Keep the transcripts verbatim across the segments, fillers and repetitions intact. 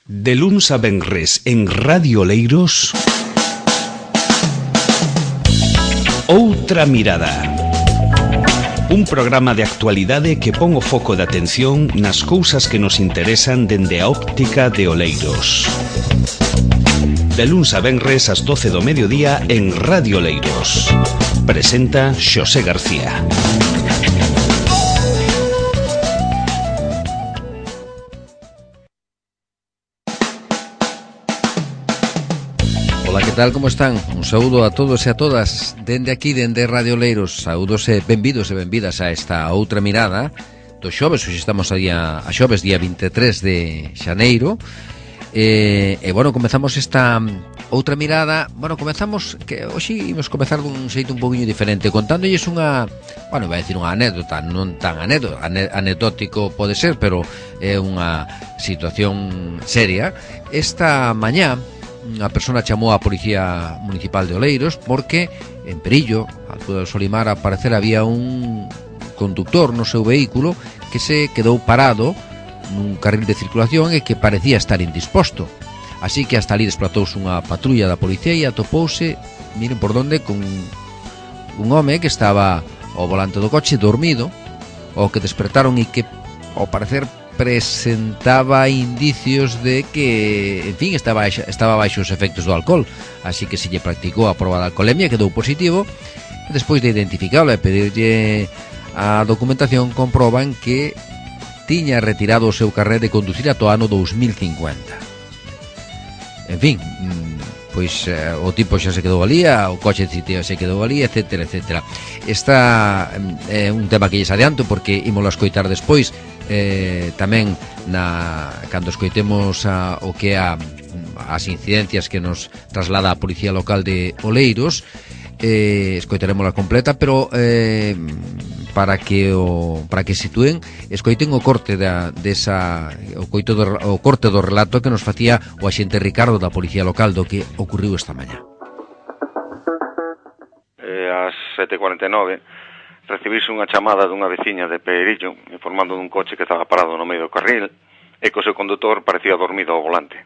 De luns a venres en Radio Oleiros, Outra Mirada. Un programa de actualidade que pon o foco de atención nas cousas que nos interesan dende a óptica de Oleiros. De luns a venres ás doce do mediodía en Radio Oleiros. Presenta Xosé García. Ola, que tal, como están? Un saúdo a todos e a todas dende aquí, dende Radio Oleiros. Saúdos e benvidos e benvidas a esta outra mirada do xoves. Hoxe estamos a, día, a xoves, día vinte e tres de xaneiro. E, e bueno, comezamos esta outra mirada. Bueno, comezamos, que hoxe imos comezar dun xeito un poquinho diferente, contándolles unha, bueno, vai decir unha anécdota, non tan anécdota, anecdótico pode ser, pero é unha situación seria. Esta mañá a persona chamou á Policía Municipal de Oleiros porque en Perillo, a altura do Solimar, a parecer había un conductor no seu vehículo que se quedou parado nun carril de circulación e que parecía estar indisposto. Así que hasta ali desplatouse unha patrulla da policía e atopouse, miren por donde, con un home que estaba ao volante do coche dormido, o que despertaron e que, ao parecer, presentaba indicios de que, en fin, estaba estaba baixo os efectos do alcohol. Así que se lle practicou a proba de alcoholemia, quedou positivo. Despois de identificalo e pedirlle a documentación, comproban que tiña retirado o seu carné de conducir ata o ano dous mil cincuenta. En fin, pois eh, o tipo xa se quedou ali, o coche se quedou ali, etcétera, etcétera. Esta é eh, un tema que lles adianto porque ímolo a escoitar despois, eh, tamén na cando escoitemos a, o que é a, as incidencias que nos traslada a Policía Local de Oleiros. Eh, escoitaremos a completa, pero eh, para que o para que situen, escoiten o corte da desa o coito do, o corte do relato que nos facía o axente Ricardo da Policía Local do que ocurriu esta mañá. Eh, ás sete e cuarenta e nove recibise unha chamada dunha veciña de Perillo informando dun coche que estaba parado no medio do carril e que o seu condutor parecía dormido ao volante.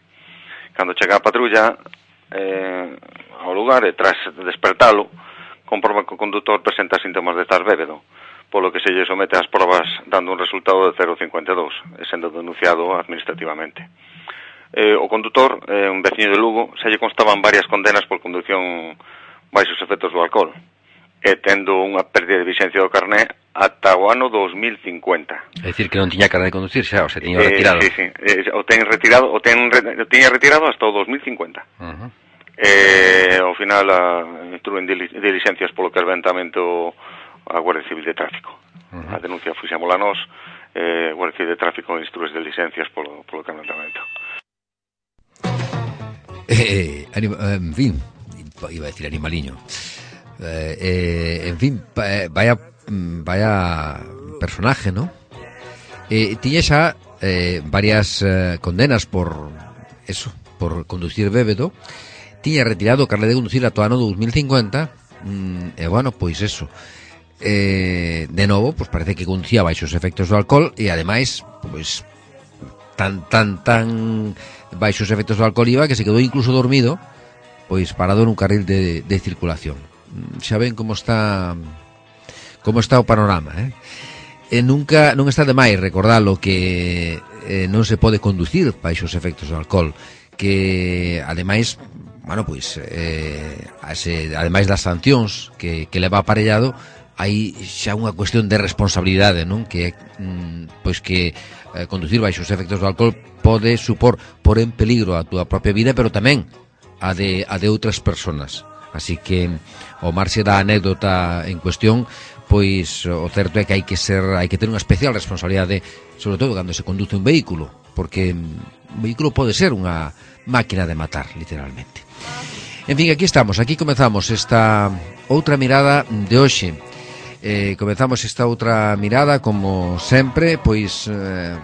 Cando chega a patrulla eh, ao lugar e tras despertalo, comproba que o condutor presenta síntomas de estar bébedo, polo que se lle somete ás probas dando un resultado de cero vírgula cincuenta e dous, e sendo denunciado administrativamente. Eh, o condutor, eh, un veciño de Lugo, se lle constaban varias condenas por conducción baixos efectos do alcohol, e tendo unha pérdida de vixencia do carné ata o ano dous mil cincuenta. É dicir, que non tiña carné de conducir xa, o se tiña retirado. Eh, sí, sí, eh, o ten retirado, o ten o tiña retirado hasta o dous mil cincuenta. Uh-huh. Eh, ao final a, instruen diligencias polo carbentamento a Guardia Civil de Tráfico. Uh-huh. A denuncia fixémola nós, eh, Guardia Civil de Tráfico instrúes diligencias polo, polo carbentamento. Eh, anima, en fin, iba a decir animaliño. Eh, eh, en fin, vaya vaya personaje, ¿no? Eh, tiña xa eh, varias eh, condenas por eso, por conducir bébedo. Tiña retirado o carné de conducir ata o ano dous mil cincuenta. mm, E bueno, pois eso, eh, de novo, pois parece que conducía baixo os efectos do alcohol. E ademais, pois tan, tan, tan baixo os efectos do alcohol iba que se quedou incluso dormido, pois parado nun carril de, de circulación. Xa ven como está como está o panorama, eh? E nunca non está de máis recordalo que eh, non se pode conducir baixo os efectos do alcohol, que ademais, bueno, pois eh, ase, ademais das sancións que, que leva aparellado, hai xa unha cuestión de responsabilidade, non? Que mm, pois que eh, conducir baixo os efectos do alcohol pode supor por en peligro a túa propia vida, pero tamén a de, a de outras persoas. Así que ao marxe da anécdota en cuestión, pois o certo é que hai que ser, hai que ter unha especial responsabilidade, sobre todo cando se conduce un vehículo, porque un vehículo pode ser unha máquina de matar, literalmente. En fin, aquí estamos, aquí comezamos esta outra mirada de hoxe. Eh, comezamos esta outra mirada, como sempre, pois eh,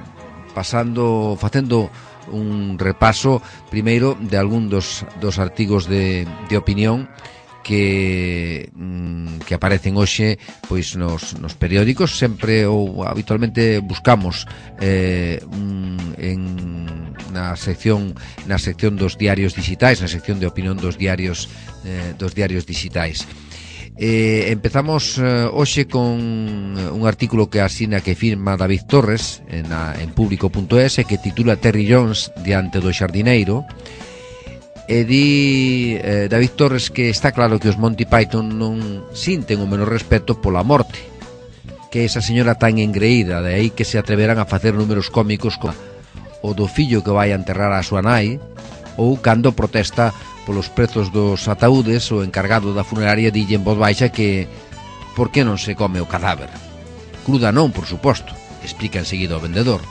pasando, facendo un repaso primeiro de algún dos, dos artigos de, de opinión que mm, que aparecen hoxe pois nos, nos periódicos, sempre ou habitualmente buscamos eh, mm, en na sección na sección dos diarios digitais, na sección de opinión dos diarios eh, dos diarios digitais. Eh, empezamos eh, hoxe con un artículo que asina que firma David Torres en, a, en público punto es que titula Terry Jones diante do xardineiro. E di eh, David Torres que está claro que os Monty Python non sinten o menor respeto pola morte, que esa señora tan engreída, de aí que se atreverán a facer números cómicos como o do fillo que vai a enterrar a súa nai, ou cando protesta polos prezos dos ataúdes, o encargado da funeraria dille en voz baixa que por que non se come o cadáver. Cruda non, por suposto, explica enseguida o vendedor.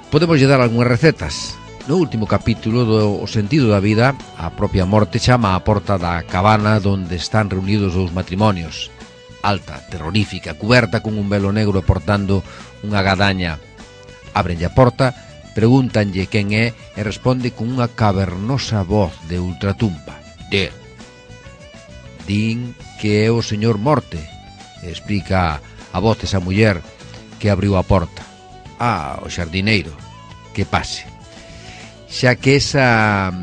Podemos lle dar algunhas recetas. No último capítulo do O sentido da vida, a propia morte chama á porta da cabana onde están reunidos os matrimonios. Alta, terrorífica, cuberta con un velo negro e portando unha gadaña. Abrenlle a porta, pregúntanlle quen é e responde con unha cavernosa voz de ultratumba. De. Din que é o señor Morte, explica a voz desa muller que abriu a porta. Ah, o xardineiro, que pase. Xa que esa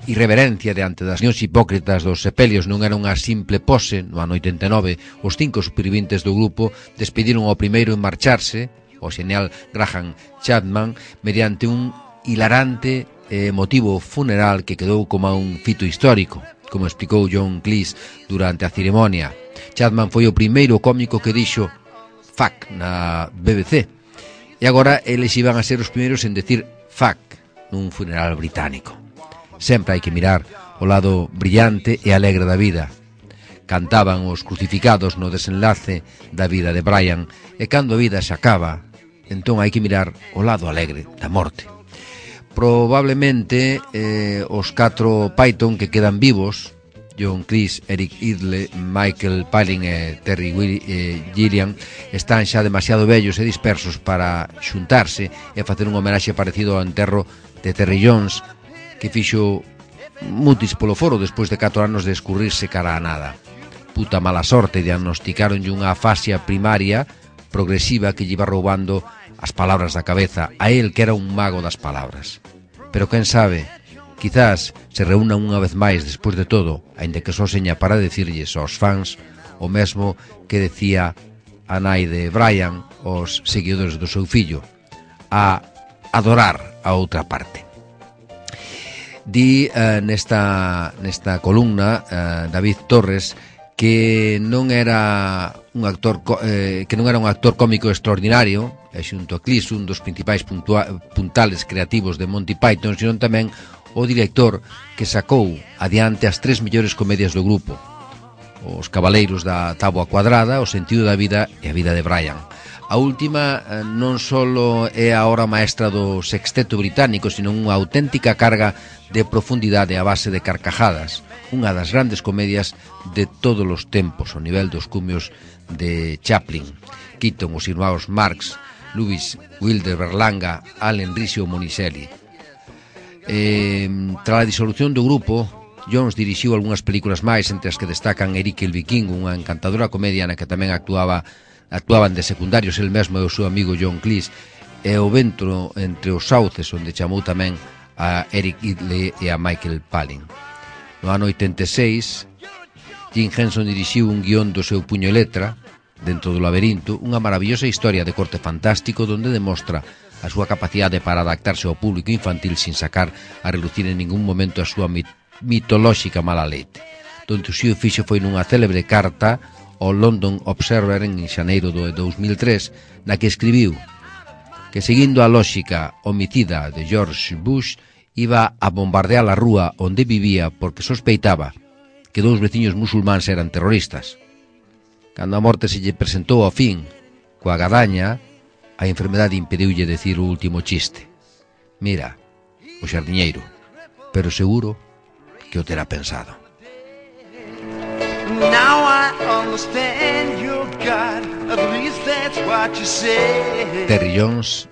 irreverencia diante das niños hipócritas dos sepelios non era unha simple pose, no ano oitenta e nove, os cinco supervivintes do grupo despediron ao primeiro en marcharse, o xenial Graham Chapman, mediante un hilarante e emotivo funeral que quedou como un fito histórico, como explicou John Cleese durante a ceremonia. Chapman foi o primeiro cómico que dixo fuck na B B C, e agora eles iban a ser os primeiros en decir fuck nun funeral británico. Sempre hai que mirar o lado brillante e alegre da vida. Cantaban os crucificados no desenlace da vida de Brian, e cando a vida se acaba, entón hai que mirar o lado alegre da morte. Probablemente eh, os catro Python que quedan vivos, John Cleese, Eric Idle, Michael Palin e Terry Will, eh, Gilliam, están xa demasiado vellos e dispersos para xuntarse e facer un homenaxe parecido ao enterro de Terry Jones, que fixo mutis polo foro despois de catro anos de escurrirse cara a nada. Puta mala sorte, diagnosticaronlle unha afasia primaria progresiva que lle iba roubando as palabras da cabeza, a él que era un mago das palabras. Pero quen sabe, quizás se reúnan unha vez máis despois de todo, aínda que só seña para decirlles aos fans o mesmo que decía a nai de Brian aos seguidores do seu fillo, a adorar a outra parte. Di eh, nesta, nesta columna eh, David Torres que non era un actor eh, que non era un actor cómico extraordinario, e xunto a Cleese un dos principais puntua, puntales creativos de Monty Python, sino tamén o director que sacou adiante as tres mellores comedias do grupo: Os Cabaleiros da Táboa Cuadrada, O sentido da vida e A vida de Brian. A última eh, non só é a obra maestra do sexteto británico, sino unha auténtica carga de profundidade a base de carcajadas, unha das grandes comedias de todos os tempos, ao nivel dos cumios de Chaplin, Keaton, os irmãos Marx, Lewis Wilder Berlanga, Allen Riso Monicelli. Eh, tras a disolución do grupo, Jones dirixiu algunhas películas máis, entre as que destacan Eric el Vikingo, unha encantadora comedia na que tamén actuaba actuaban de secundarios el mesmo e o seu amigo John Cleese, e O vento entre os sauces, onde chamou tamén a Eric Idle e a Michael Palin. No ano oitenta e seis, Jim Henson dirixiu un guión do seu puño e letra, Dentro do laberinto, unha maravillosa historia de corte fantástico donde demostra a súa capacidade para adaptarse ao público infantil sin sacar a relucir en ningún momento a súa mit mitolóxica mala leite. Donde o seu fixo foi nunha célebre carta ao London Observer en xaneiro do dous mil tres, na que escribiu que, seguindo a lóxica homicida de George Bush, iba a bombardear a rúa onde vivía porque sospeitaba que dous veciños musulmáns eran terroristas. Cando a morte se lle presentou ao fin coa gadaña, a enfermedade impediulle decir o último chiste: mira, o xardiñeiro, pero seguro que o terá pensado. Now I understand your God, at least that's what you say. Terry Jones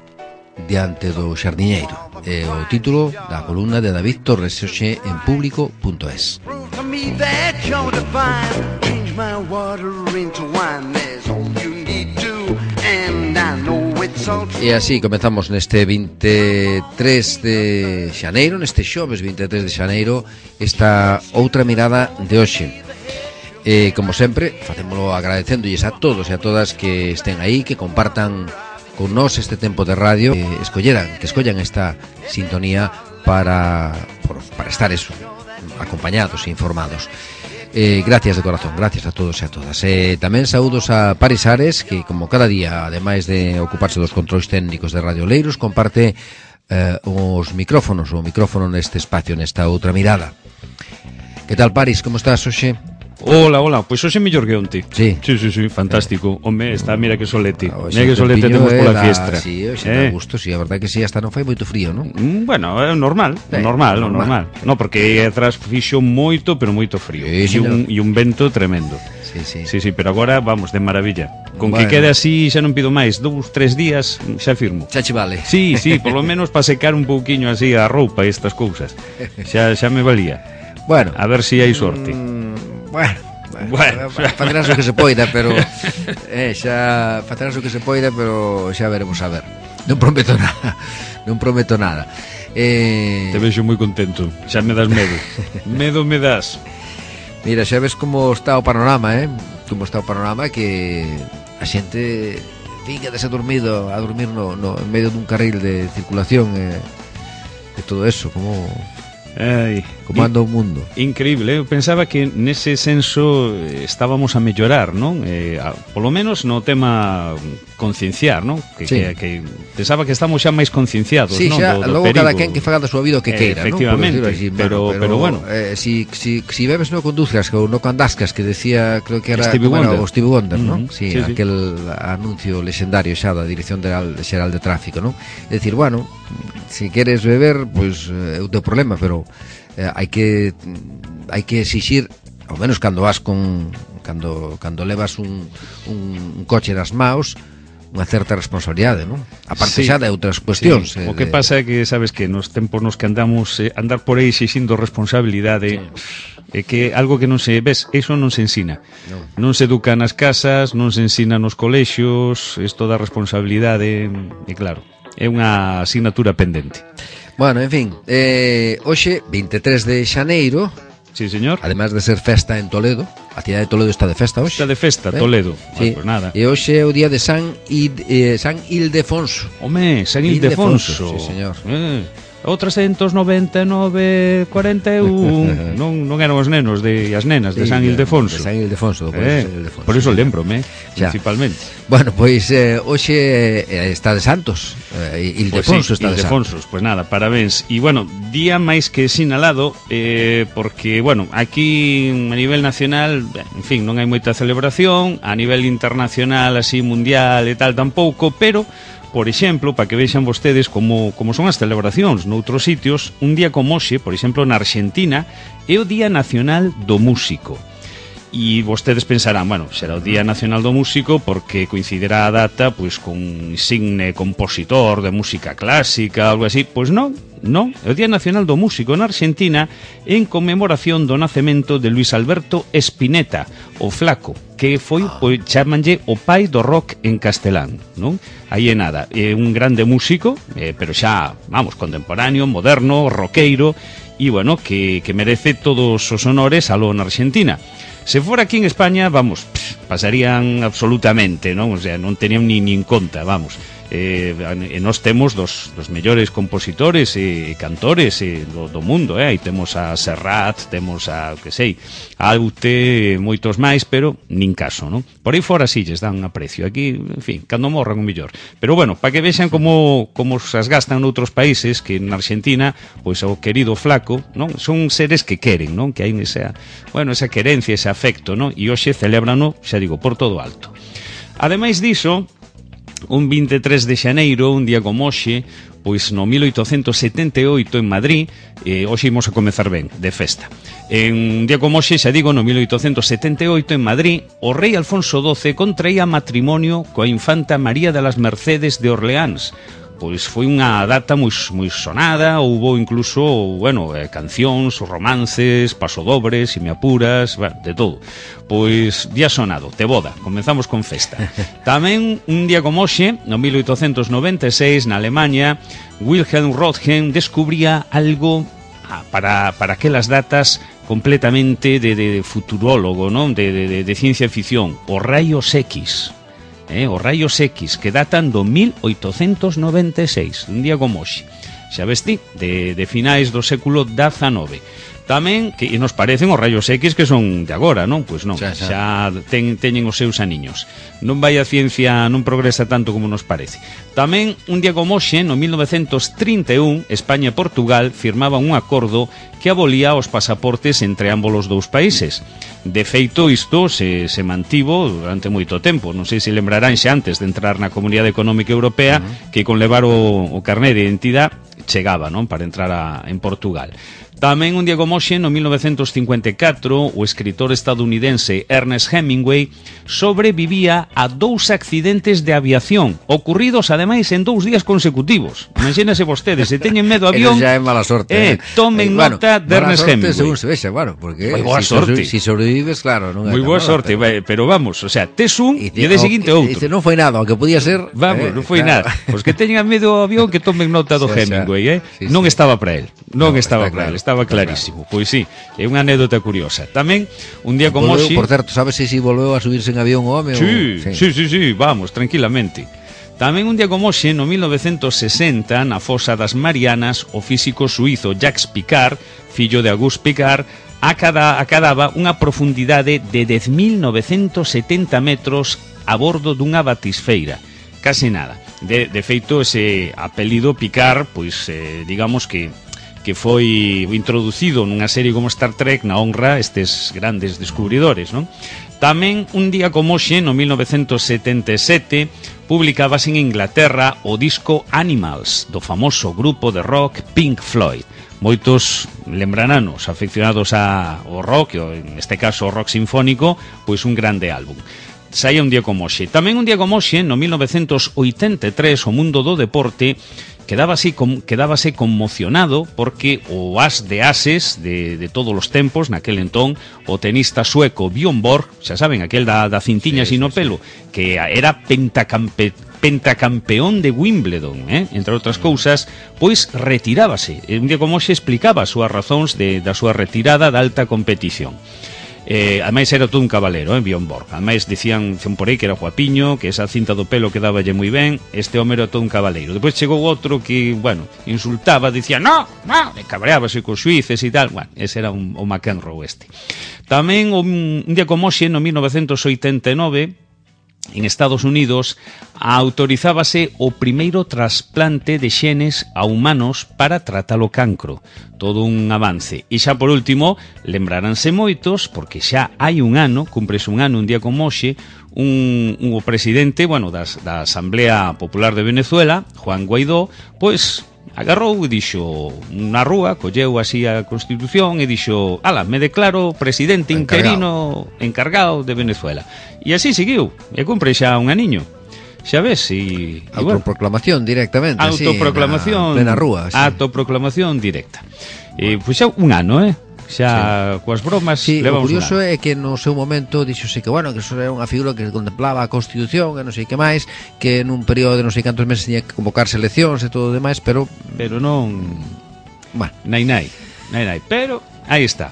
diante do xardiñeiro é o título da columna de David Torres hoxe en público punto es. me that you're divine. Change my water into wine. There's all you need to, and I know it's all true. E así comezamos neste vinte e tres de xaneiro, neste xoves vinte e tres de xaneiro, esta outra mirada de hoxe. E, como sempre, facémolo agradecéndolles a todos e a todas que estén aí, que compartan con nós este tempo de radio, que escolleran, que escollan esta sintonía para, por, para estar eso, acompañados e informados. Eh, gracias de corazón, gracias a todos e a todas. Eh, tamén saúdos a Paris Ares, que como cada día, ademais de ocuparse dos controis técnicos de Radio Oleiros, comparte eh, os micrófonos, o micrófono neste espacio, nesta outra mirada. Que tal, Paris, como estás hoxe? Hola, hola, pois pues hoxe mellor que onte. Sí. Sí, sí, sí, fantástico. Home, está, mira que solete. Ah, mira que solete temos pola da... fiestra. Sí, hoxe eh? dá gusto, sí, a verdade que sí, hasta non fai moito frío, non? Mm, bueno, é normal, sí, normal, normal. normal. No, porque atrás fixo moito, pero moito frío. Sí, e, un, e un vento tremendo. Sí, sí. Sí, sí, pero agora vamos de maravilla. Con Bueno. que quede así xa non pido máis, dous, tres días, xa firmo. Xa che vale. Sí, sí, por lo menos para secar un pouquiño así a roupa e estas cousas. Xa, xa me valía. Bueno. A ver se si hai sorte. Mm, bueno. Bueno, facerás o que se poida, pero eh, xa facerás o que se poida, pero xa veremos a ver. Non prometo nada. Non prometo nada. Eh... Te vexo moi contento. Xa me das medo. Medo me das. Mira, xa ves como está o panorama, eh? Como está o panorama, que a xente fica dese dormido a dormir no, no, en medio dun carril de circulación e eh, todo eso, como Ai, como anda o mundo. Increíble, eu pensaba que nese senso estábamos a mellorar, non? Eh, a, polo menos no tema concienciar, non? Que, sí. que, que pensaba que estamos xa máis concienciados, sí, non? xa, Do, do logo perigo. cada quen que faga da súa vida o que queira, eh, efectivamente, non? Así, pero, bueno, pero bueno, eh, si, si, si bebes no conduzcas ou no candascas, que decía, creo que era Stevie Wonder, Wonder. o Stevie Wonder, Uh-huh. non? Sí, Sí, sí. aquel anuncio lexendario xa da Dirección Xeral de Tráfico, non? É dicir, bueno, si queres beber, pois pues, é o teu problema, pero eh, hai que hai que exixir, ao menos cando vas con cando cando levas un, un, un coche nas maus, unha certa responsabilidade, non? A parte Sí. xa de outras cuestións. Sí. Eh, O que de... pasa é que sabes que nos tempos nos que andamos eh, andar por aí exixindo responsabilidade, é que algo que non se ves, iso non se ensina. Non. Non se educa nas casas, non se ensina nos colexios, isto da responsabilidade, e claro, é unha asignatura pendente. Bueno, en fin, eh, hoxe, vinte e tres de xaneiro, Sí, señor. además de ser festa en Toledo, a cidade de Toledo está de festa hoxe. Está de festa, Eh? Toledo. Sí. Ah, pues nada. E hoxe é o día de San, Id, eh, San Ildefonso. Home, San Ildefonso, Ildefonso. sí, señor. Eh, o trescentos noventa e nove cuarenta e un non, non eran os nenos de as nenas de Sí, San Ildefonso. De San Ildefonso, por, Eh, San Ildefonso, por iso sí. lembrome, Xa. principalmente. Bueno, pois eh, hoxe eh, está de Santos, eh, Ildefonso Pues sí, está de Santos. Ildefonsos, pues nada, parabéns. E bueno, día máis que sinalado, eh, porque, bueno, aquí a nivel nacional, en fin, non hai moita celebración, a nivel internacional, así, mundial e tal, tampouco, pero, por exemplo, para que vexan vostedes como, como son as celebracións noutros sitios, un día como hoxe, por exemplo, na Argentina, é o Día Nacional do Músico. E vostedes pensarán, bueno, será o Día Nacional do Músico porque coincidirá a data pois con insigne compositor de música clásica, algo así. Pois non, non, é o Día Nacional do Músico na Argentina en conmemoración do nacemento de Luis Alberto Spinetta, o Flaco, que foi, pois, chamanlle o pai do rock en castelán, non? Aí é nada, é un grande músico, eh, pero xa, vamos, contemporáneo, moderno, roqueiro, e, bueno, que, que merece todos os honores aló na Argentina. Se fora aquí en España, vamos, pff, pasarían absolutamente, non? O sea, non tenían ni, ni en conta, vamos. Eh, e nós temos dos, dos mellores compositores e cantores e do, do mundo, eh? Aí temos a Serrat, temos a, que sei, a Aute, moitos máis, pero nin caso, non? Por aí fora si lles dan aprecio. Aquí, en fin, cando morran o mellor. Pero bueno, para que vexan como, como as gastan noutros países, que na Argentina, pois o querido Flaco, non? Son seres que queren, non? Que hai esa, bueno, esa querencia, ese afecto, non? E hoxe celébrano, xa digo, por todo alto. Ademais diso, un vinte e tres de xaneiro, un día como hoxe, pois no mil oitocentos setenta e oito en Madrid, eh, hoxe imos a comezar ben, de festa. En un día como hoxe, xa digo, no mil oitocentos setenta e oito en Madrid, o rei Alfonso doce contraía matrimonio coa infanta María de las Mercedes de Orleáns, pois foi unha data moi, moi sonada, houbo incluso, bueno, eh, cancións, romances, pasodobres, si me apuras, bueno, de todo. Pois día sonado, te boda, comenzamos con festa. Tamén un día como hoxe, no mil oitocentos noventa e seis, na Alemanha, Wilhelm Röntgen descubría algo ah, para, para aquelas datas completamente de, de, de futurólogo, non? De, de, de, de ciencia ficción, os rayos X. Eh, os rayos X, que datan do mil oitocentos noventa e seis, un día como hoxe, xa ves ti, de, de finais do século dezenove. Tamén, que nos parecen os rayos X que son de agora, non? Pois non, xa, xa. xa ten, teñen os seus aniños. Non vai a ciencia, non progresa tanto como nos parece. Tamén, un día como hoxe, no mil novecentos trinta e un, España e Portugal firmaban un acordo que abolía os pasaportes entre ambos os dous países. De feito, isto se, se mantivo durante moito tempo. Non sei se lembrarán xa antes de entrar na Comunidade Económica Europea, uh-huh, que con levar o, o carné de identidade chegaba, non? Para entrar a, en Portugal. Tamén un día como hoxe, no mil novecentos cincuenta e catro, o escritor estadounidense Ernest Hemingway sobrevivía a dous accidentes de aviación, ocurridos ademais en dous días consecutivos. Imagínase vostedes, se teñen medo a avión, xa é mala sorte, eh, tomen eh, bueno, nota de Ernest Hemingway. Según se vexa, bueno, porque moi boa si, sorte. Si sobrevives, claro, non moi boa sorte, pero... pero vamos, o sea, tes un e, te, e de seguinte outro. Dice, non foi nada, aunque podía ser... Vamos, eh, non foi claro. nada. Pois que teñan medo ao avión, que tomen nota do sí, Hemingway, eh? Sí, non sí. estaba para él, non no, estaba para claro, él, estaba clarísimo. Claro. Pois sí, é unha anécdota curiosa. Tamén, un día como hoxe... Por certo, sabes se si, si volveu a subirse en avión o home? Sí, o... sí, sí, sí, vamos, tranquilamente. Tamén un día como hoxe, no mil novecentos sesenta, na fosa das Marianas, o físico suizo Jacques Picard, fillo de Auguste Picard, acada, acadaba unha profundidade de dez mil novecentos setenta metros a bordo dunha batisfeira. Case nada. De, de feito, ese apelido Picard, pois, eh, digamos que que foi introducido nunha serie como Star Trek na honra a estes grandes descubridores, non? Tamén, un día como hoxe, no mil novecentos setenta e sete, publicábase en Inglaterra o disco Animals, do famoso grupo de rock Pink Floyd. Moitos lembrananos afeccionados ao rock, en este caso o rock sinfónico, pois un grande álbum. Saía un día como hoxe. Tamén un día como hoxe, no mil novecentos oitenta e tres, o mundo do deporte quedábase, com, quedábase conmocionado porque o as de ases de, de todos os tempos, naquel entón, o tenista sueco Björn Borg, xa saben, aquel da, da cintiña sí, sin sí, o pelo, sí. que era pentacampe, pentacampeón de Wimbledon, eh? entre outras cousas, pois retirábase. Un día como hoxe explicaba as súas razóns de, da súa retirada da alta competición. Eh, ademais era todo un caballero, eh, Björn Borg. Ademais dicían, dicían por aí que era guapiño, que esa cinta do pelo quedáballe moi ben. Este home era todo un caballero. Depois chegou outro que, bueno, insultaba, dicía, no, no, e cabreábase cos xuíces e tal. Bueno, ese era un, o McEnroe este. Tamén un, un día como hoxe, no mil novecentos oitenta e nove, en Estados Unidos, autorizábase o primeiro trasplante de xenes a humanos para tratar o cancro. Todo un avance. E xa por último, lembraránse moitos, porque xa hai un ano, cúmprese un ano, un día como hoxe, un, un o presidente, bueno, das, da Asamblea Popular de Venezuela, Juan Guaidó, pois agarrou e dixo na rúa, colleu así a Constitución e dixo, ala, me declaro presidente interino encargado de Venezuela. E así seguiu, e cumpre xa un aniño. Xa ves, e... Autoproclamación directamente, autoproclamación, así, na plena rúa. Sí. Autoproclamación directa. E, pois xa un ano, eh? Xa sí. coas bromas sí, levamos. O curioso é que no seu momento dixose que, bueno, que eso era unha figura que contemplaba a Constitución e non sei que máis, que nun período de non sei cantos meses tiña que convocarse eleccións e todo o demais, pero pero non, bueno, nai nai, nai nai, pero aí está.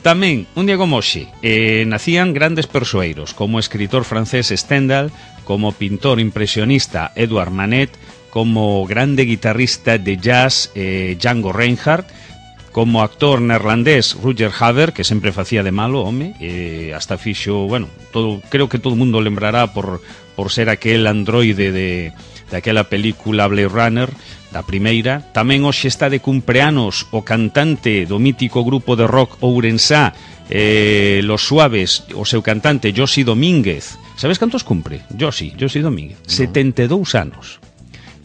Tamén, un día como hoxe, eh, nacían grandes persoeiros, como o escritor francés Stendhal, como o pintor impresionista Edouard Manet, como o grande guitarrista de jazz eh, Django Reinhardt, como actor neerlandés Rutger Hauer, que sempre facía de malo, home, e hasta fixo, bueno, todo, creo que todo o mundo lembrará por, por ser aquel androide de, de aquela película Blade Runner, da primeira. Tamén hoxe está de cumpleanos o cantante do mítico grupo de rock ourensá, eh, Los Suaves, o seu cantante Josi Domínguez. Sabes cantos cumpre? Josi, Josi Domínguez, no. setenta e dous anos.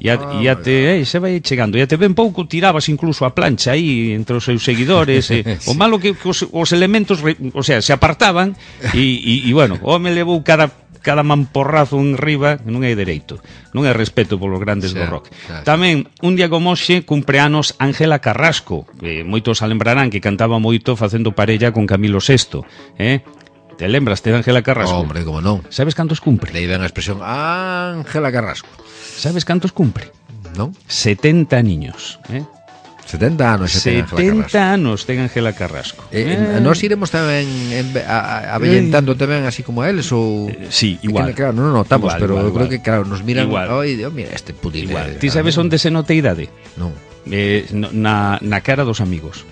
E a, ah, a te, eh, se vai chegando. E a te ben pouco tirabas incluso a plancha aí entre os seus seguidores. eh. sí. O malo que, que os, os elementos, re, o sea, se apartaban e, e, e bueno, o home levou cada cada mamporrazo en riba non é dereito, non é respeto polos grandes do rock. Tamén, un día como hoxe, cumpre anos Ángela Carrasco, que moitos a lembrarán que cantaba moito facendo parella con Camilo sexto, eh? Te lembraste de Ángela Carrasco? Oh, hombre, como non. Sabes cantos cumpre? Leí ben a expresión Ángela Carrasco. Sabes cantos cumpre? Non? setenta niños, eh? setenta anos ten Ángela Carrasco. setenta anos ten Ángela Carrasco. Eh, eh. Nós iremos tamén en, a, a, avellentando tamén así como a eles ou eh, sí, igual. Que, claro, non notamos, igual, pero igual, eu creo igual. que claro, nos miran, oi, oh, mira este pudil. Igual. Ti sabes onde se nota a idade? Non. Eh, na, na cara dos amigos.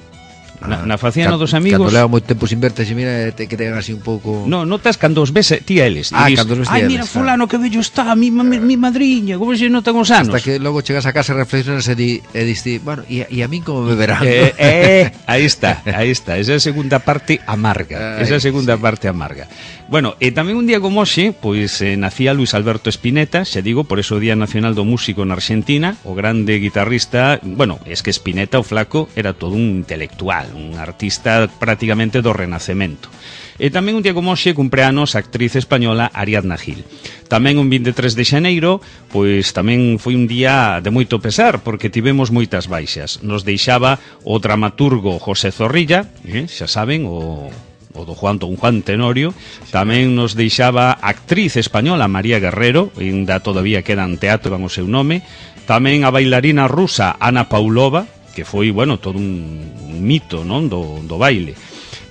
Na, na faciana Ca, dos amigos. Cando leva moito tempo sin verte, se mira te, que ten así un pouco. No, notas cando os ves ti a eles. Ah, cando os ves ai, mira fulano que bello está, mi, mi, mi madriña, como se notan os anos. Hasta que logo chegas a casa e reflexionas e di, e diste, bueno, e, e a min como me verán. Eh, eh, aí está, aí está. Esa é a segunda parte amarga. Esa é a segunda sí. parte amarga. Bueno, e tamén un día como hoxe, pois eh, nacía Luis Alberto Spinetta, xa digo, por eso o Día Nacional do Músico na Argentina, o grande guitarrista, bueno, es que Spinetta, o flaco, era todo un intelectual, un artista prácticamente do Renacemento. E tamén un día como hoxe cumpre anos a actriz española Ariadna Gil. Tamén un vinte e tres de xaneiro, pois tamén foi un día de moito pesar, porque tivemos moitas baixas. Nos deixaba o dramaturgo José Zorrilla, eh, xa saben, o... o do Juan Don Juan Tenorio. Tamén nos deixaba a actriz española María Guerrero, ainda todavía queda en teatro con o seu nome. Tamén a bailarina rusa Ana Paulova, que foi, bueno, todo un mito, non, do, do baile.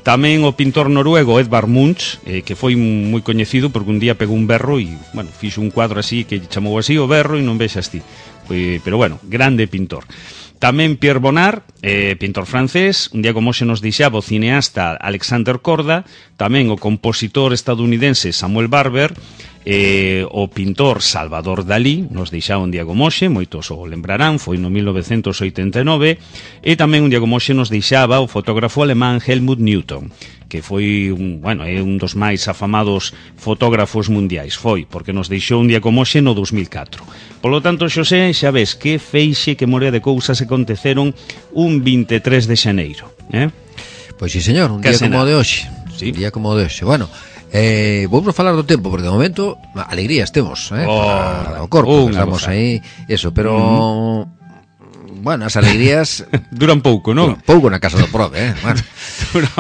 Tamén o pintor noruego Edvard Munch, eh, que foi moi coñecido porque un día pegou un berro e, bueno, fixo un cuadro así que chamou así o berro e non vexas ti. Foi, pero bueno, grande pintor. Tamén Pierre Bonnard, eh, pintor francés, un día como hoxe nos deixaba o cineasta Alexander Korda, tamén o compositor estadounidense Samuel Barber, eh, o pintor Salvador Dalí, nos deixaba un día como hoxe, moitos o lembrarán, foi no mil novecentos oitenta e nove, e tamén un día como hoxe nos deixaba o fotógrafo alemán Helmut Newton, que foi un, bueno, é un dos máis afamados fotógrafos mundiais, foi, porque nos deixou un día como hoxe no dos mil catro. Polo tanto, Xosé, xa ves que feixe, que morea de cousas se aconteceron un vinte e tres de xaneiro, eh? Pois sí, señor, un día como o de hoxe. Sí. Un día como o de hoxe. Bueno, eh, vamos a falar do tempo, porque de momento alegrías temos, eh? Oh, para o corpo, estamos cosa. aí, eso, pero... Mm. Bueno, as alegrías duran pouco, non? Duran pouco na casa do Prove, eh? Bueno,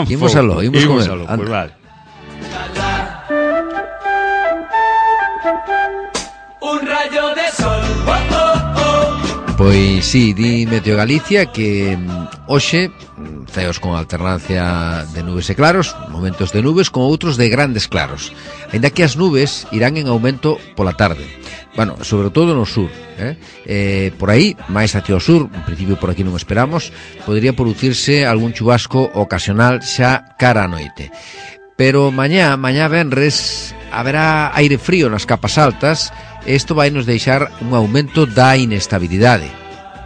imos aló, imos con el. Pues vale. Un rayo de sol. Oh, oh, oh. Pois sí, di Meteo Galicia que hoxe ceos con alternancia de nubes e claros, momentos de nubes con outros de grandes claros. Ainda que as nubes irán en aumento pola tarde. Bueno, sobre todo no sur, eh? Eh, por aí, máis hacia o sur, en principio por aquí non esperamos, podría producirse algún chubasco ocasional xa cara a noite. Pero mañá, mañá venres, haberá aire frío nas capas altas, e isto vai nos deixar un aumento da inestabilidade.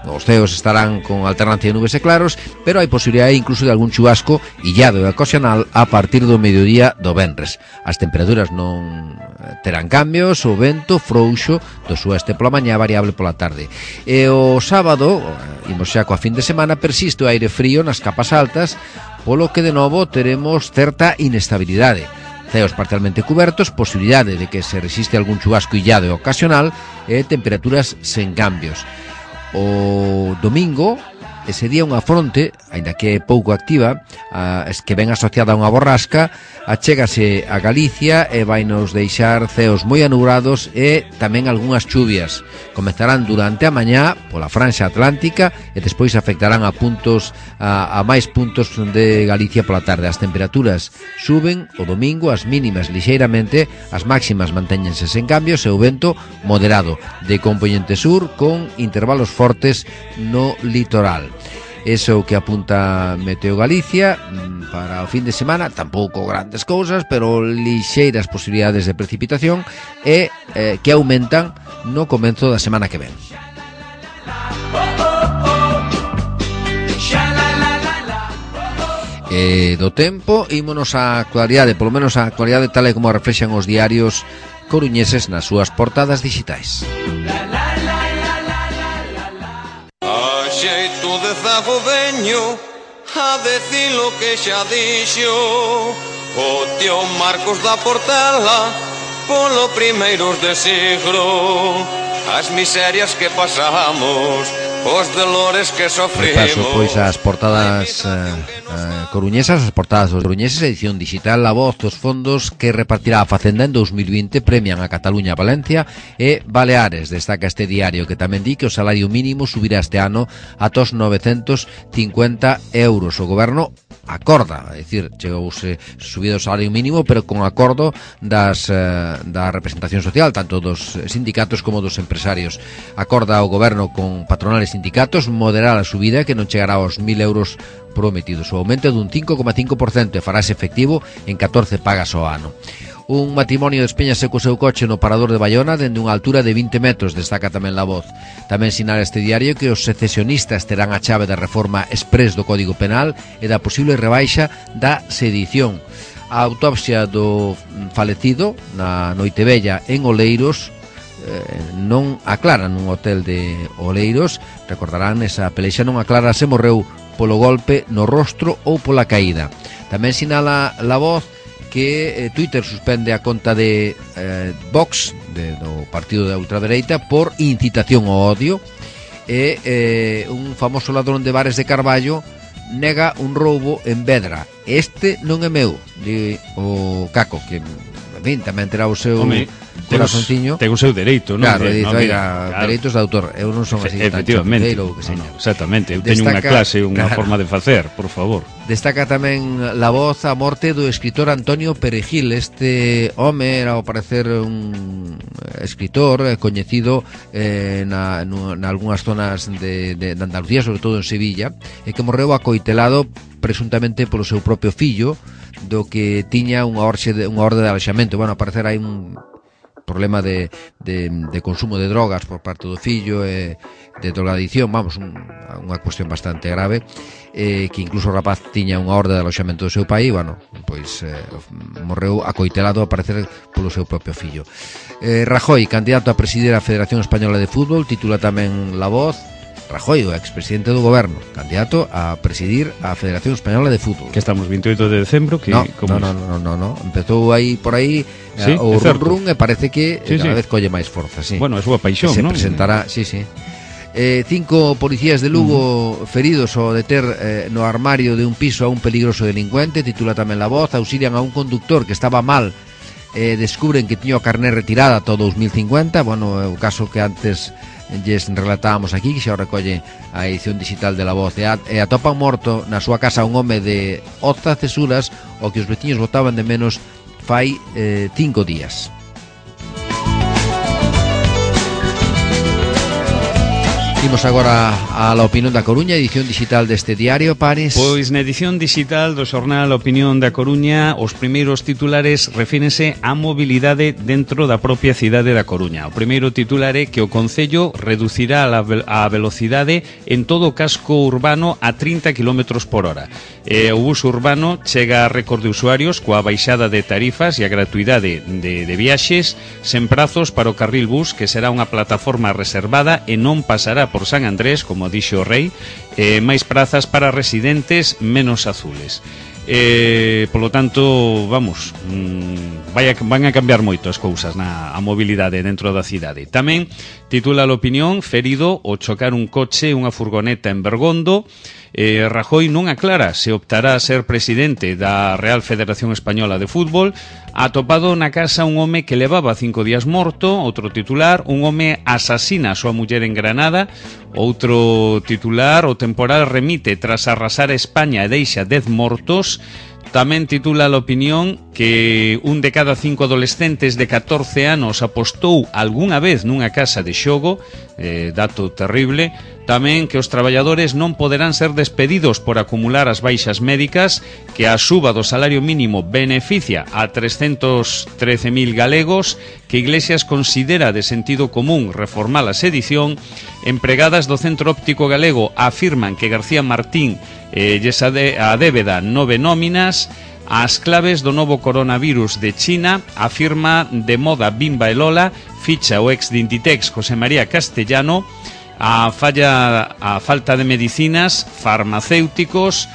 Os ceos estarán con alternancia de nubes e claros, pero hai posibilidade incluso de algún chubasco illado e ocasional a partir do mediodía do venres. As temperaturas non terán cambios, o vento frouxo do sueste pola mañá, variable pola tarde. E o sábado, imos xa coa fin de semana, persiste o aire frío nas capas altas, polo que de novo teremos certa inestabilidade. Ceos parcialmente cubertos, posibilidade de que se resiste algún chubasco illado e ocasional e temperaturas sen cambios. O domingo, ese día unha fronte, aínda que é pouco activa, a, es que ven asociada a unha borrasca, achégase a Galicia e vai nos deixar ceos moi anubrados e tamén algunhas chuvias. Comezarán durante a mañá pola franxa atlántica e despois afectarán a puntos a, a máis puntos de Galicia pola tarde. As temperaturas suben o domingo, as mínimas lixeiramente, as máximas mantéñense sen cambios e o vento moderado de componente sur con intervalos fortes no litoral. Eso é o que apunta Meteo Galicia para o fin de semana, tampouco grandes cousas, pero lixeiras posibilidades de precipitación e eh, que aumentan no comenzo da semana que ven. E do tempo, ímonos á actualidade, polo menos a actualidade tal e como a reflexan os diarios coruñeses nas súas portadas digitais. Xeito de zago veño a decir lo que xa dixo o tío Marcos da Portela polo primeiros de siglo. As miserias que pasamos, os dolores que sofrimos. Paso, pois as portadas eh, eh, coruñesas, as portadas dos coruñeses, edición digital La Voz, dos fondos que repartirá a Facenda en dos mil vinte premian a Cataluña, Valencia e Baleares. Destaca este diario que tamén di que o salario mínimo subirá este ano a tos novecentos cincuenta euros. O goberno acorda, é dicir, chegouse subido o salario mínimo, pero con acordo das eh, da representación social, tanto dos sindicatos como dos empresarios. Acorda o goberno con patronales sindicatos moderar a subida que non chegará aos mil euros prometidos. O aumento dun cinco coma cinco por cento e farase efectivo en catorce pagas ao ano. Un matrimonio despeñase co seu coche no parador de Bayona dende unha altura de vinte metros, destaca tamén La Voz. Tamén sinala este diario que os secesionistas terán a chave da reforma exprés do Código Penal e da posible rebaixa da sedición. A autopsia do falecido na Noitevella en Oleiros non aclara nun hotel de Oleiros. Recordarán, esa pelexa non aclara se morreu polo golpe no rostro ou pola caída. Tamén sinala La Voz que eh, Twitter suspende a conta de eh, Vox, de, do partido da ultradereita, por incitación ao odio, e eh, un famoso ladrón de bares de Carballo nega un roubo en Vedra. Este non é meu, di o Caco, que en fin, tamén terá o seu Home, corazonciño. Ten o seu dereito, non? Claro, De, dito, no, oiga, claro. dereitos de autor. Eu non son así tan Efectivamente, chapuceiro, que no, seña. no, exactamente. Eu teño unha Destaca- clase, unha claro. forma de facer, por favor. Destaca tamén La Voz a morte do escritor Antonio Perejil. Este home era, ao parecer, un escritor eh, coñecido eh, na, na, na algunhas zonas de, de, de Andalucía, sobre todo en Sevilla, e que morreu acoitelado presuntamente polo seu propio fillo, do que tiña unha orxe de, unha orde de alexamento. Bueno, ao parecer hai un problema de, de, de consumo de drogas por parte do fillo e de drogadicción, vamos, un, unha cuestión bastante grave, eh, que incluso o rapaz tiña unha orde de aloxamento do seu pai, bueno, pois eh, morreu acoitelado a parecer polo seu propio fillo. eh, Rajoy, candidato a presidir a Federación Española de Fútbol, titula tamén La Voz. Rajoy, o expresidente do goberno, candidato a presidir a Federación Española de Fútbol. Que estamos veintioito de decembro, que No, como no, no, no, no, no. Empezou aí por aí Sí, eh, o é certo. run run e parece que Sí, cada sí. vez colle máis forza, sí. Bueno, é súa paixón, se non? presentará, sí, sí. Eh, cinco policías de Lugo uh-huh. feridos ao deter eh, no armario de un piso a un peligroso delincuente, titula tamén La Voz. Auxilian a un conductor que estaba mal, eh, descubren que tiña o carné retirada todo dos mil cincuenta. Bueno, é o caso que antes lles relatábamos aquí, que xa o recolle a edición digital de La Voz. E, a, e atopan morto na súa casa un home de Oza Cesuras, o que os veciños botaban de menos fai eh, cinco días. Imos agora a la opinión da Coruña, edición digital deste diario, Paris. Pois na edición digital do xornal Opinión da Coruña, os primeiros titulares refírense á mobilidade dentro da propia cidade da Coruña. O primeiro titular é que o Concello reducirá a velocidade en todo o casco urbano a trinta kilómetros por hora. E o bus urbano chega a récord de usuarios coa baixada de tarifas e a gratuidade de, de viaxes sen prazos para o carril bus, que será unha plataforma reservada e non pasará por San Andrés, como dixo o Rei, eh, máis prazas para residentes menos azules. Eh, polo tanto, vamos, mmm, vai a, van a cambiar moito as cousas na a mobilidade dentro da cidade. Tamén titula a opinión: ferido ao chocar un coche e unha furgoneta en Bergondo. Eh, Rajoy non aclara se optará a ser presidente da Real Federación Española de Fútbol. Atopado na casa un home que levaba cinco días morto. Outro titular: un home asasina a súa muller en Granada. Outro titular: o temporal remite tras arrasar a España e deixa dez mortos. Tamén titula a opinión que un de cada cinco adolescentes de catorce anos apostou algunha vez nunha casa de xogo, eh, dato terrible. Tamén que os traballadores non poderán ser despedidos por acumular as baixas médicas, que a suba do salario mínimo beneficia a trescentos trece mil galegos, que Iglesias considera de sentido común reformar a sedición. Empregadas do Centro Óptico Galego afirman que García Martín eh, lles ade, a débeda nove nóminas. As claves do novo coronavirus de China, afirma de moda Bimba e Lola, ficha o ex de Inditex José María Castellano. A falla, a falta de medicinas, farmacéuticos,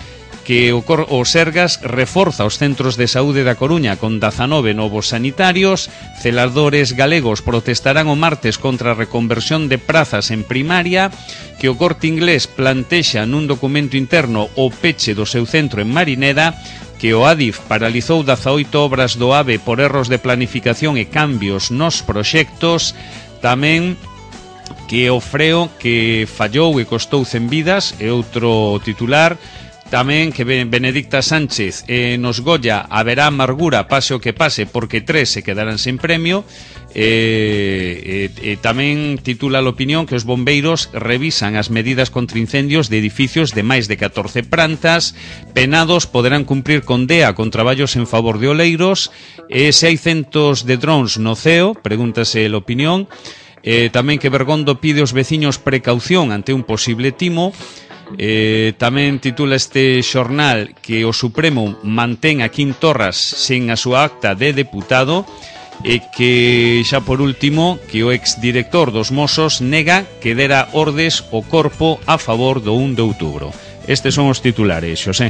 que o, Cor o Sergas reforza os centros de saúde da Coruña con dezanove novos sanitarios. Celadores galegos protestarán o martes contra a reconversión de prazas en primaria, que o Corte Inglés plantexa nun documento interno o peche do seu centro en Marineda, que o Adif paralizou dezaoito obras do AVE por erros de planificación e cambios nos proxectos. Tamén que o freo que fallou e costou cen vidas, é outro titular. Tamén que Benedicta Sánchez eh, nos Goya haberá amargura pase o que pase porque tres se quedarán sen premio. E, e, e tamén titula a opinión que os bombeiros revisan as medidas contra incendios de edificios de máis de catorce plantas. Penados poderán cumprir condea con traballos en favor de oleiros. E se hai centos de drones no ceo, pregúntase a opinión. E tamén que Bergondo pide aos veciños precaución ante un posible timo. Eh, tamén titula este xornal que o Supremo mantén a Quim Torras sen a súa acta de deputado, e que xa por último que o exdirector dos Mossos nega que dera ordes o corpo a favor do un de outubro. Estes son os titulares, Xosé.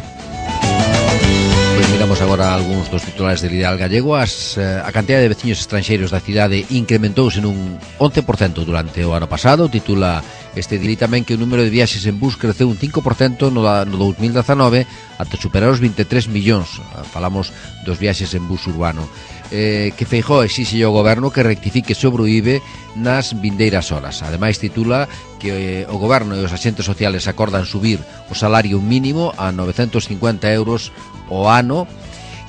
Pois miramos agora algúns dos titulares del Ideal Gallego. As, eh, a cantidad de veciños estranxeiros da cidade incrementouse nun once por cento durante o ano pasado. Titula este dili tamén que o número de viaxes en bus creceu un cinco por cento no, no dos mil dezanove ata superar os vinte e tres millóns. Falamos dos viaxes en bus urbano. Eh, que Feijóo exixe ao goberno que rectifique sobre o I B E nas vindeiras horas. Ademais titula que eh, o goberno e os axentes sociales acordan subir o salario mínimo a novecentos cincuenta euros ao ano,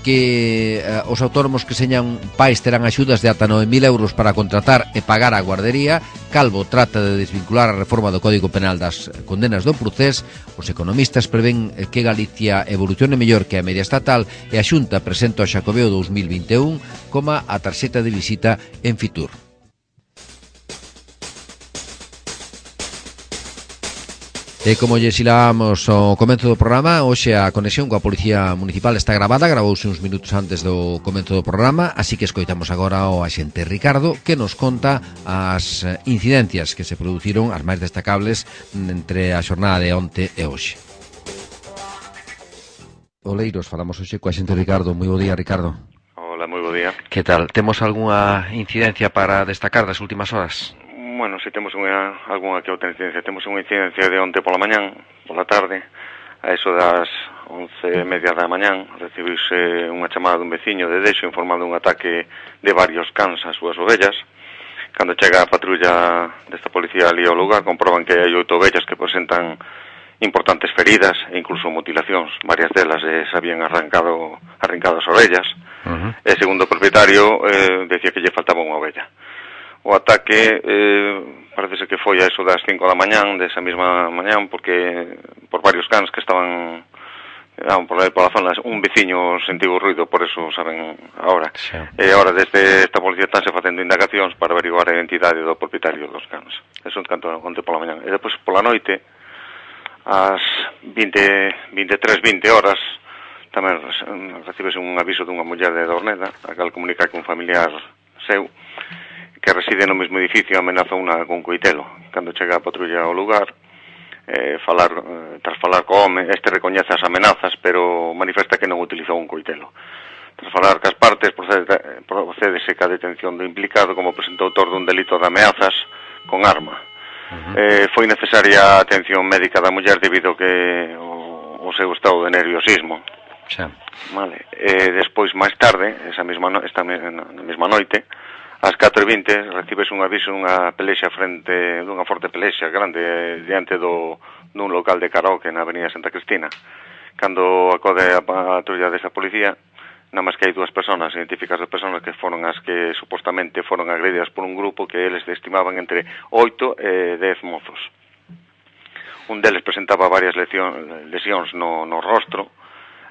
que eh, os autónomos que señan pais terán axudas de ata nove mil euros para contratar e pagar a guardería. Calvo trata de desvincular a reforma do Código Penal das condenas do Procés. Os economistas prevén que Galicia evolucione mellor que a media estatal, e a Xunta presenta o Xacobeo dos mil vinte e un como a tarxeta de visita en Fitur. E como lle silamos ao comenzo do programa, hoxe a conexión coa Policía Municipal está grabada, gravouse uns minutos antes do comenzo do programa, así que escoitamos agora ao axente Ricardo, que nos conta as incidencias que se produciron, as máis destacables entre a xornada de onte e hoxe. Oleiros, falamos hoxe co axente Ricardo. Moi bo día, Ricardo. Hola, moi bo día. Que tal? Temos algunha incidencia para destacar das últimas horas? Bueno, se temos unha, algunha que outra incidencia. Temos unha incidencia de onte pola mañán, pola tarde, a eso das once e media da mañán, recibiuse unha chamada dun veciño de Deixo informando un ataque de varios cans ás súas ovellas. Cando chega a patrulla desta policía ali ao lugar, comproban que hai oito ovellas que presentan importantes feridas e incluso mutilacións. Varias delas eh, se habían arrancado, arrancado as orellas. Uh-huh. E segundo o propietario, eh, decía que lle faltaba unha ovella. O ataque eh, parece que foi a eso das cinco da mañán, desa mesma mañán, porque por varios cans que estaban eh, por aí pola zona, un veciño sentiu o ruido, por eso saben agora. Sí. E agora desde esta policía estánse facendo indagacións para averiguar a identidade do propietario dos cans. Eso en canto onte pola mañán. E depois pola noite, ás vinte, vinte e tres, vinte horas, tamén recibese un aviso dunha muller de Dorneda, a cal comunica que un familiar seu que reside no mesmo edificio amenaza unha con coitelo. Cando chega a patrulla ao lugar, eh, falar, eh, tras falar co home, este recoñece as amenazas, pero manifesta que non utilizou un coitelo. Tras falar cas partes, procede, procedese ca detención do implicado como presunto autor dun delito de ameazas con arma. Uh-huh. eh, foi necesaria a atención médica da muller debido que o, o seu estado de nerviosismo. Sí. Vale. Eh, despois, máis tarde, esa mesma no, esta na mesma noite, ás catro e vinte, recibes un aviso unha pelexa frente, dunha forte pelexa grande diante do, dun local de karaoke na avenida Santa Cristina. Cando acode a patrulla desa policía, nada máis que hai dúas personas, identificas as personas que foron as que supostamente foron agredidas por un grupo que eles estimaban entre oito e dez mozos. Un deles presentaba varias lesións, lesións no, no rostro,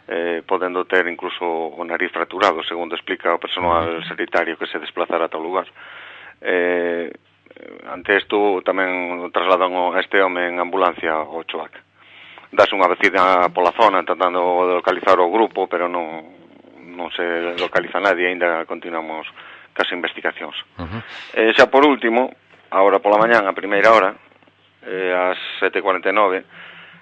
Eh, podendo ter incluso o nariz fracturado, segundo explica o personal sanitario que se desplazara ata o lugar. Eh, ante isto tamén trasladan a este home en ambulancia ao Choac. Das unha vecina pola zona tratando de localizar o grupo, pero non, non se localiza nadie, ainda continuamos cas investigacións. Uh-huh. eh, xa por último, agora pola mañán, a primeira hora, eh, ás sete e cuarenta e nove,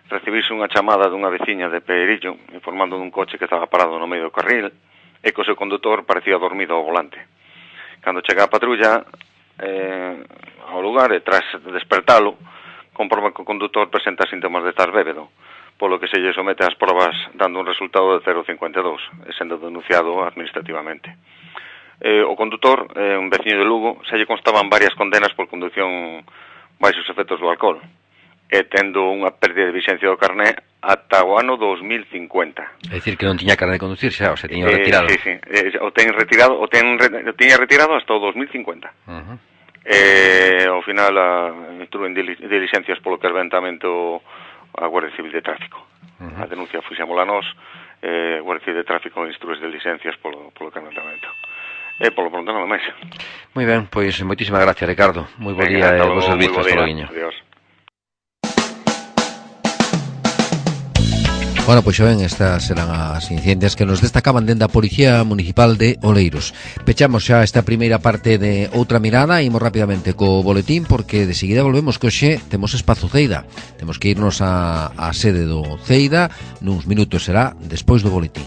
recibirse unha chamada dunha veciña de Perillo informando dun coche que estaba parado no medio do carril e que o seu condutor parecía dormido ao volante. Cando chega a patrulla eh, ao lugar e tras despertalo comproba que o condutor presenta síntomas de estar bébedo, polo que se lle somete ás probas dando un resultado de cero coma cincuenta e dous e sendo denunciado administrativamente. Eh, o condutor, eh, un veciño de Lugo, se lle constaban varias condenas por conducción baixos efectos do alcohol e tendo unha pérdida de vixencia do carné ata o ano dos mil cincuenta. É dicir que non tiña carné de conducir xa, o se tiña retirado. Eh, sí, sí, eh, o ten retirado, o ten o tiña retirado hasta o dos mil cincuenta. Uh-huh. Eh, ao final a, instruen diligencias polo carbentamento a Guardia Civil de Tráfico. Uh-huh. A denuncia fixémola nós, eh, Guardia Civil de Tráfico instrúes diligencias polo, polo carbentamento. E polo pronto non máis. Moi ben, pois moitísimas gracias, Ricardo. Moi bo día e vos servizos, hasta logo. Adiós. Bueno, pois xa ven, estas serán as incidencias que nos destacaban dende a Policía Municipal de Oleiros. Pechamos xa esta primeira parte de Outra Mirada, imos rapidamente co boletín, porque de seguida volvemos que hoxe temos espazo Ceida. Temos que irnos á, á sede do Ceida, nuns minutos será despois do boletín.